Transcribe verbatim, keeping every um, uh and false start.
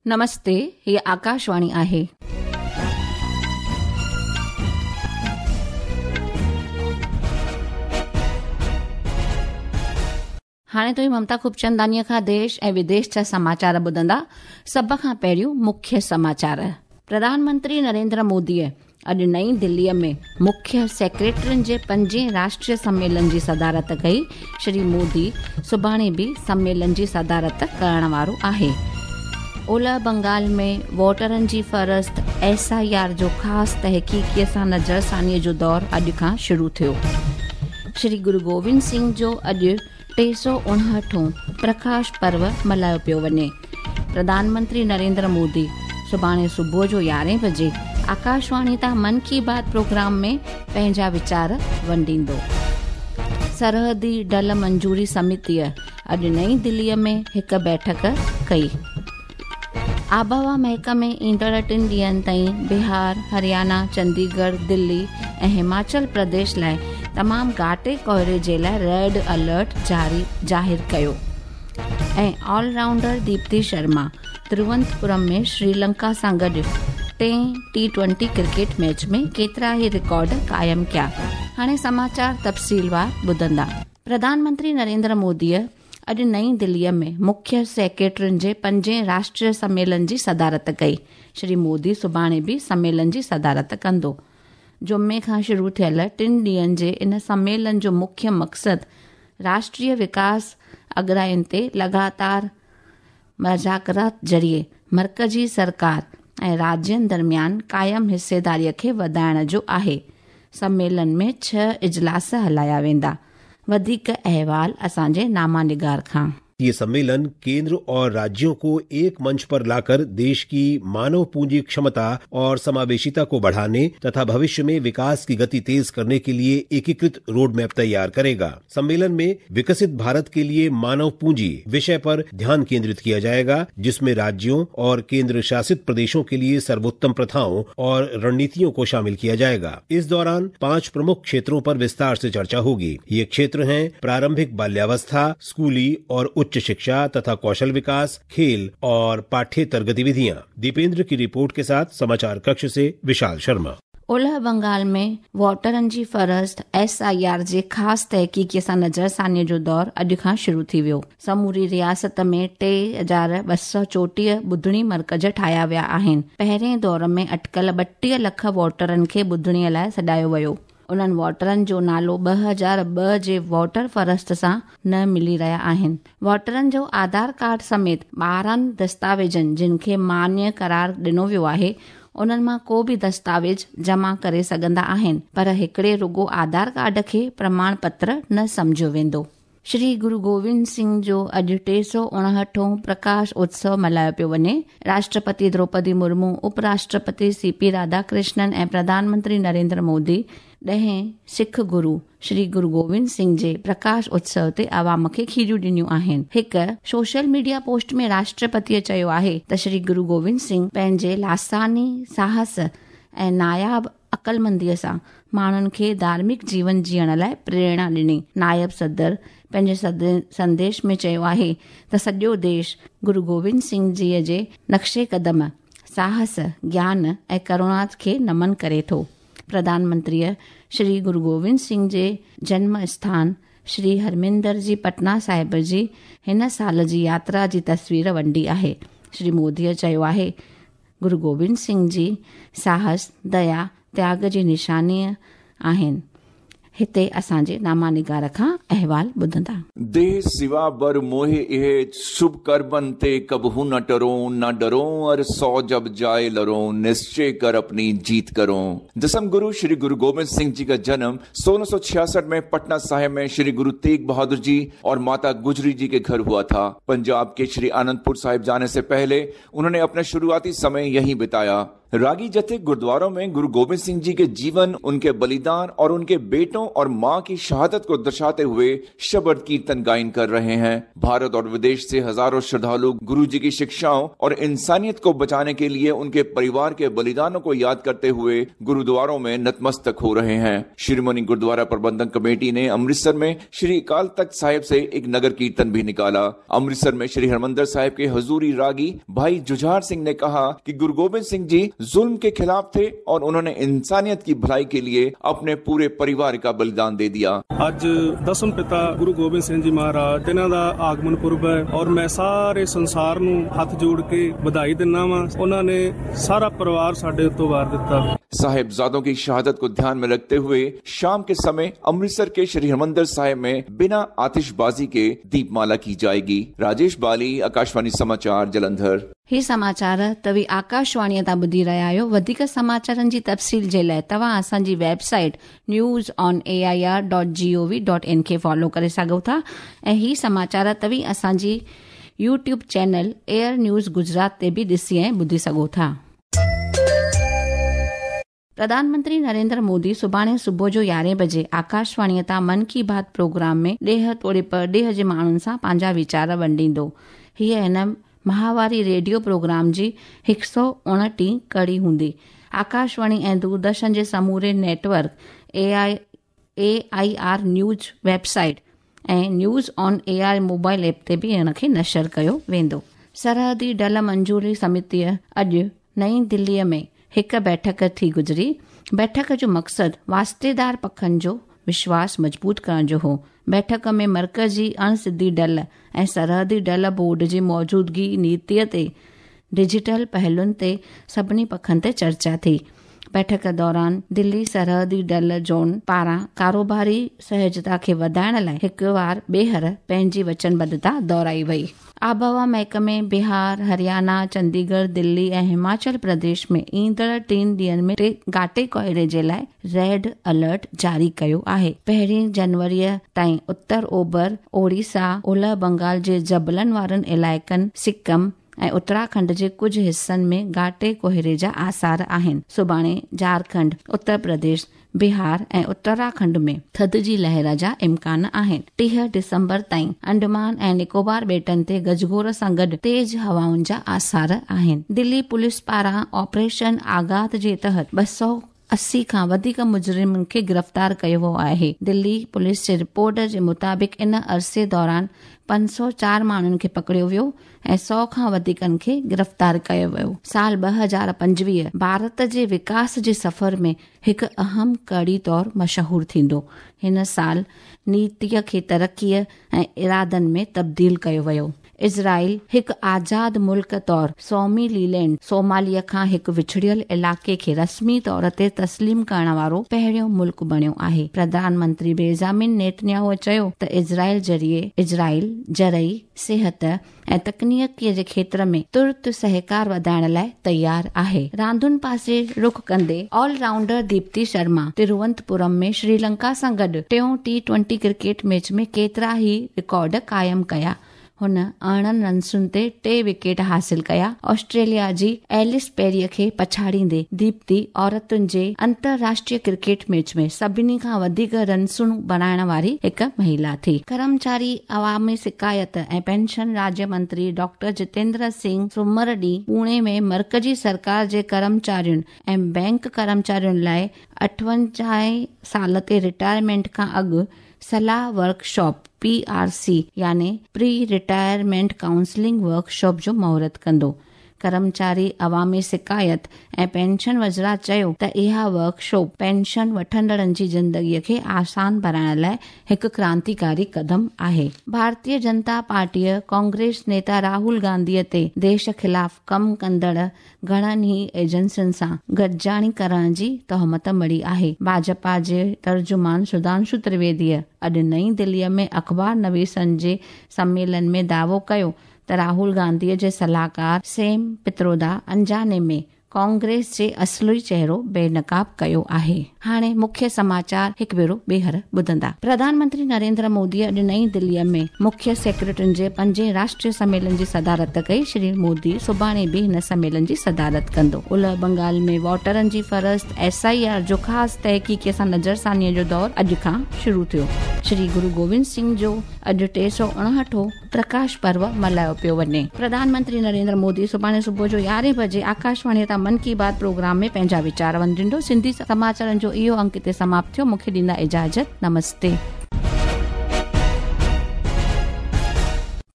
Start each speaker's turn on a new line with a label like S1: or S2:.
S1: नमस्ते, ही आकाशवाणी आहे. हाणे तुव्हीं ममता खूबचंदानीअ खां देश ऐं विदेश जा समाचार ॿुधंदा. सभ खां पहिरियों मुख्य समाचार. प्रधानमंत्री नरेंद्र मोदीअ अॼु नई दिल्लीअ में मुख्य सेक्रेटरियुनि जे पंजें राष्ट्रीय सम्मेलन जी सदारत कई. श्री मोदी सुभाणे बि सम्मेलन जी सदारत करण वारो आहे. ओलह बंगाल में वोटरनि जी फ़हरिस्त एस I R जो ख़ासि तहक़ीक़ीअ सां नज़रसानीअ जो दौर अॼु खां शुरू थियो. श्री गुरु गोविंद सिंह जो अॼु टे सौ उणहठों प्रकाश पर्व मल्हायो पियो वञे. प्रधानमंत्री नरेंद्र मोदी सुभाणे सुबुह जो यारहें बजे आकाशवाणी तां मन की बात प्रोग्राम में पंहिंजा वीचार वंडींदो. सरहदी डल मंजूरी समितीअ अॼु नई दिल्लीअ में हिकु बैठक कई. आबहवा महकमे ईंदड़ टिनि ॾींहनि ताईं बिहार, हरियाणा, चंडीगढ़, दिल्ली ऐं हिमाचल प्रदेश लाइ तमामु घाटे कोहरे जे लाइ रेड अलर्ट जारी ज़ाहिर कयो. ऐं ऑलराउंडर दीप्ति शर्मा तिरुवनंतपुरम में श्रीलंका सां गॾु टे टी ट्वेंटी क्रिकेट मैच में केतिरा ई रिकॉर्ड क़ाइमु कया. हाणे समाचार तफ़सीलवार ॿुधंदा. प्रधानमंत्री नरेंद्र मोदीअ अॼु नई दिल्लीअ में मुख्य सेक्रेटरियुनि जे पंजें राष्ट्रीय सम्मेलन जी सदारत कई. श्री मोदी सुभाणे बि सम्मेलन जी सदारत कंदो. जुमे खां शुरू थियल टिनि ॾींहनि जे इन सम्मेलन जो मुख्य मक़सदु राष्ट्रीय विकास अॻराइनि ते लगातार मुज़ाकरात ज़रिए मर्कज़ी सरकार ऐं राज्यनि दरमियान क़ाइमु हिस्सेदारीअ खे वधाइण जो आहे. सम्मेलन में छह इजलास हलाया वेंदा. वधीक अहवाल असांजे नामा निगार खां.
S2: ये सम्मेलन केंद्र और राज्यों को एक मंच पर लाकर देश की मानव पूंजी क्षमता और समावेशिता को बढ़ाने तथा भविष्य में विकास की गति तेज करने के लिए एकीकृत रोड मैप तैयार करेगा. सम्मेलन में विकसित भारत के लिए मानव पूंजी विषय पर ध्यान केंद्रित किया जाएगा, जिसमें राज्यों और केंद्र शासित प्रदेशों के लिए सर्वोत्तम प्रथाओं और रणनीतियों को शामिल किया जाएगा. इस दौरान पांच प्रमुख क्षेत्रों पर विस्तार से चर्चा होगी. ये क्षेत्र हैं प्रारंभिक बाल्यावस्था, स्कूली और उच्च शिक्षा तथा कौशल विकास, खेल और पाठ्येतर गतिविधियां. दीपेंद्र की रिपोर्ट के साथ समाचार कक्ष से विशाल शर्मा.
S1: ओलह बंगाल में वोटरनि जी फ़हरिस्त एस I R जे ख़ासि तहक़ीक़ीअ सां नज़रसानीअ जो दौर अॼु खां शुरू थी वियो. समूरी रियासत में टे हज़ार ॿ सौ चोटीह ॿुधणी मर्कज़ ठाहिया विया आहिनि. पहिरें दौर में अटकल ॿटीह लख वोटरनि खे ॿुधणीअ लाइ सॾायो वियो. उन्हनि वोटरनि जो नालो ॿ हज़ार ॿ जे वोटर फ़हरिस्त सां न मिली रहिया आहिनि. वोटरनि जो आधार कार्ड समेत ॿारहं दस्तावेज़नि जिन खे मान्य करार ॾिनो वियो आहे, उन्हनि मां को बि दस्तावेज़ जमा करे सघंदा आहिनि, पर हिकिड़े रुगो आधार कार्ड खे प्रमाण पत्र न सम्झियो वेंदो. श्री गुरु गोविंद सिंह जो अॼु टे सौ उणहठों प्रकाश उत्सव मल्हायो पियो वञे. राष्ट्रपति द्रौपदी मुर्मू, उपराष्ट्रपति सी पी राधाकृष्णन ऐं प्रधानमंत्री नरेंद्र मोदी ॾहें सिख गुरू श्री गुरु गोविंद सिंह जे प्रकाश उत्सव ते आवाम खे खीरियूं ॾिनियूं आहिनि. हिकु सोशल मीडिया पोस्ट में राष्ट्रपतीअ चयो आहे त श्री गुरु गोविंद सिंह पंहिंजे लासानी साहस ऐं नायाब अक़लमंदीअ सां माण्हुनि खे धार्मिक जीवन जीअण लाइ प्रेरणा ॾिनी. नायब सदर पंहिंजे संदेश में चयो आहे त सॼो देश गुरु गोविंद सिंह जीअ जे नक्शे कदम, साहस, ज्ञान ऐं करुणा खे नमन करे थो. प्रधानमंत्रीअ श्री गुरु गोविंद सिंह जे जन्म स्थान श्री हरमिंदर जी पटना साहिब जी हिन साल जी यात्रा जी तस्वीर वंडी आहे. श्री मोदीअ चयो आहे गुरु गोविंद सिंह जी साहस, दया, त्याग जी निशानी आहिनि. हिते असांजे नामा निगार खां अहवाल ॿुधंदा.
S3: देह सिवा बर मोहे इहे शुभ करबन ते कबहू न टरो, न डरो और सौ जब जाए लरो, निश्चय कर अपनी जीत करो. दसम गुरु श्री गुरु गोविंद सिंह जी का जन्म सोलह सौ छियासठ में पटना साहिब में श्री गुरु तेग बहादुर जी और माता गुजरी जी के घर हुआ था. पंजाब के श्री आनंदपुर साहिब जाने से पहले उन्होंने अपना शुरुआती समय यहीं बिताया. रागी जत्थे गुरुद्वारों में गुरु गोविंद सिंह जी के जीवन, उनके बलिदान और उनके बेटों और मां की शहादत को दर्शाते हुए शबद कीर्तन गायन कर रहे हैं। भारत और विदेश से हजारों श्रद्धालु गुरु जी की शिक्षाओं और इंसानियत को बचाने के लिए उनके परिवार के बलिदानों को याद करते हुए गुरुद्वारों में नतमस्तक हो रहे हैं। शिरोमणि गुरुद्वारा प्रबंधक कमेटी ने अमृतसर में श्री अकाल तख्त साहिब से एक नगर कीर्तन भी निकाला। अमृतसर में श्री हरमंदिर साहिब के हजूरी रागी भाई जुझार सिंह ने कहा कि गुरु गोबिंद सिंह जी जुल्म के खिलाफ थे और उन्होंने इंसानियत की भलाई के लिए अपने पूरे परिवार का बलिदान दे दिया।
S4: ਅੱਜ ਦਸਮ ਪਿਤਾ ਗੁਰੂ ਗੋਬਿੰਦ ਸਿੰਘ ਜੀ ਮਹਾਰਾਜ ਇਹਨਾਂ ਦਾ ਆਗਮਨ ਪੁਰਬ ਹੈ ਔਰ ਮੈਂ ਸਾਰੇ ਸੰਸਾਰ ਨੂੰ ਹੱਥ ਜੋੜ ਕੇ ਵਧਾਈ ਦਿੰਦਾ ਵਾਂ। ਉਹਨਾਂ ਨੇ ਸਾਰਾ ਪਰਿਵਾਰ ਸਾਡੇ ਉੱਤੋਂ ਵਾਰ ਦਿੱਤਾ।
S3: साहिबजादों की शहादत को ध्यान में रखते हुए शाम के समय अमृतसर के श्री हरमंदिर साहिब में बिना आतिशबाजी के दीपमाला की जाएगी। राजेश बाली, आकाशवाणी समाचार, जलंधर।
S1: ही समाचार तव्हीं आकाशवाणीअ तां ॿुधी रहिया आहियो। वधीक समाचारनि जी तफ़सील जे लाइ तव्हां असांजी website news on A I R dot G O V dot in खे फॉलो करे सघो था ऐं ही समाचार तव्हीं असांजी YouTube channel AIR news Gujarat ते बि ॾिसी ऐं ॿुधी सघो था। प्रधानमंत्री नरेंद्र मोदी सुभाणे सुबुह जो यारहें बजे आकाशवाणीअ तां मन की बात प्रोग्राम में ॾेह तोड़े परॾेह जे माण्हुनि सां पंहिंजा वीचार वंडींदो। हीअ हिन महावारी रेडियो प्रोग्राम जी हिकु सौ उणिटीह कड़ी हूंदी। आकाशवाणी ऐं दूरदर्शन जे समूरे network, A I A I R news website ऐं news on A I mobile app ते बि हिन खे नशर कयो वेंदो। सरहदी डल मंजूरी समितीअ अॼु नई दिल्लीअ में हिकु बैठक थी गुज़री। बैठक जो मक़सदु वास्तेदार पखनि जो विश्वास मज़बूत करण जो हो। बैठक में मर्कज़ी अणसिधी डल ऐं सरहदी डल बोर्ड जी मौजूदगी नीतीअ ते डिजिटल पहलुनि ते सभिनी पखनि ते चर्चा थी। बैठक दौरान दिल्ली सरहदी डल ज़ोन पारां कारोबारी सहजता खे वधाइण लाइ हिकु वार ॿीहर पंहिंजी वचनबद्धता दोहराई वई। आबहवा महकमे बिहार, हरियाणा, चंडीगढ़, दिल्ली ऐं हिमाचल प्रदेश में ईंदड़ टिनि ॾींहंनि में घाटे कोहरे जे लाइ रेड अलर्ट जारी कयो आहे। पहिरीं जनवरीअ ताईं उत्तर ओभर ओडिशा, ओलह बंगाल जे जबलनि वारनि इलाइक़नि, सिक्किम ऐं उत्तराखंड जे कुझु हिसनि में घाटे कोहरे जा आसार आहिनि। सुभाणे झारखंड, उत्तर प्रदेश, बिहार ऐं उत्तराखंड में थधि जी लहर जा इम्कान आहिनि। टीह दिसंबर ताईं अंडमान ऐं निकोबार ॿेटनि ते गजगोर सां गॾु तेज़ हवाउनि जा आसार आहिनि। दिल्ली पुलिस पारां ऑपरेशन आघात जे तहत ॿ सौ अस्सी खां वधीक मुजरिमनि खे गिरफ़्तार कयो वियो आहे। दिल्ली पुलिस जे रिपोर्ट जे मुताबिक़ इन अरसे दौरान पंज सौ चार माण्हुनि खे पकड़ियो वियो ऐं सौ खां वधीकनि खे गिरफ़्तार कयो वियो। साल ॿ हज़ार पंजवीह भारत जे विकास जे सफ़र में हिकु अहम कड़ी तौर मशहूर थींदो। हिन साल नीतीअ खे तरक़ीअ ऐं इरादनि में तब्दील कयो वियो। इज़राइल हिकु आज़ाद मुल्क तौर सोमालीलैंड सोमालिया खां हिकु विछड़ियल इलाइक़े खे रस्मी तौर ते तस्लीम करण वारो पहिरियों मुल्क बणियो आहे। प्रधानमंत्री बेंजामिन नेतन्याहू चयो त इज़राइल ज़रिए इज़राइल ज़रई, सिहत ऐं तकनीकीअ जे क्षेत्र में तुर्त सहकार वधाइण लाइ तयारु आहे। रांदुनि पासे रुख कंदे ऑलराउंडर दीप्ति शर्मा तिरुवनंतपुरम में श्रीलंका सां गॾु टियों टी ट्वेंटी क्रिकेट मैच में केतिरा ई रिकॉर्ड क़ाइमु कया। हुन अरिड़हं रनसुनि ते टे विकेट हासिल कया। ऑस्ट्रेलिया जी एलिस पेरीअ खे पछाड़ींदे दीप्ति औरतुनि जे अंतरराष्ट्रीय क्रिकेट मैच में सभिनी खां वधीक रनसूं बणाइण वारी हिकु महिला थी। कर्मचारी अवामी शिकायत ऐं पेंशन राज्य मंत्री डॉक्टर जितेंद्र सिंह सुमर ॾींहुं पुणे में मर्कज़ी सरकार जे कर्मचारियुनि ऐं बैंक कर्मचारियुनि लाइ अठवंजाह साल ते रिटायरमेंट खां अॻु सलाह वर्कशॉप पी आर सी यानी प्री रिटायरमेंट काउंसलिंग वर्कशॉप जो मुहूर्त कंदो। कर्मचारी अवामी शिकायत ऐं पेंशन वज़रा चयो त इहा वर्कशॉप पेंशन वठंदड़नि जी ज़िंदगीअ खे आसान बणाइण लाइ हिकु क्रांतिकारी कदम आहे। भारतीय जनता पार्टीअ कांग्रेस नेता राहुल गांधीअ ते देश ख़िलाफ़ कमु कंदड़ घणनि ई एजेंसियुनि सां गॾिजाणी करण जी तोहमत मढ़ी आहे। भाजपा जे तर्जुमान सुधांशु त्रिवेदीअ अॼु नई दिल्लीअ में अख़बार नवीसनि जे सम्मेलन में दावो कयो त राहुल गांधीअ जे सलाहकार सैम पित्रोदा अनजाने में कांग्रेस जे असली चेहरो बेनकाब कयो आहे। हाणे मुख्य समाचार हिकु भेरो ॿीहर ॿुधंदा। प्रधानमंत्री नरेंद्र मोदी अॼु नई दिल्लीअ में मुख्य सेक्रेटरियुनि जे पंजे राष्ट्रीय सम्मेलन जी सदारत कई। श्री मोदी सुभाणे बि हिन सम्मेलन जी सदारत कंदो। उलह बंगाल में वोटरनि जी फ़हरिस्त एस I R जो ख़ासि तहक़ीक़ सां नज़रसानीअ जो दौर अॼु खां शुरू थियो। श्री गुरु गोविंद सिंह जो अॼु टे सौ उणहठो प्रकाश पर्व मल्हायो पियो वञे। प्रधानमंत्री नरेंद्र मोदी सुभाणे सुबुह जो यारहें बजे आकाशवाणी तां मन की बात प्रोग्राम में पंहिंजा वीचार वंडींदो। सिंधी समाचारनि जो इहो अंक हिते समाप्त थियो। मूंखे ॾींदा इजाज़त। नमस्ते।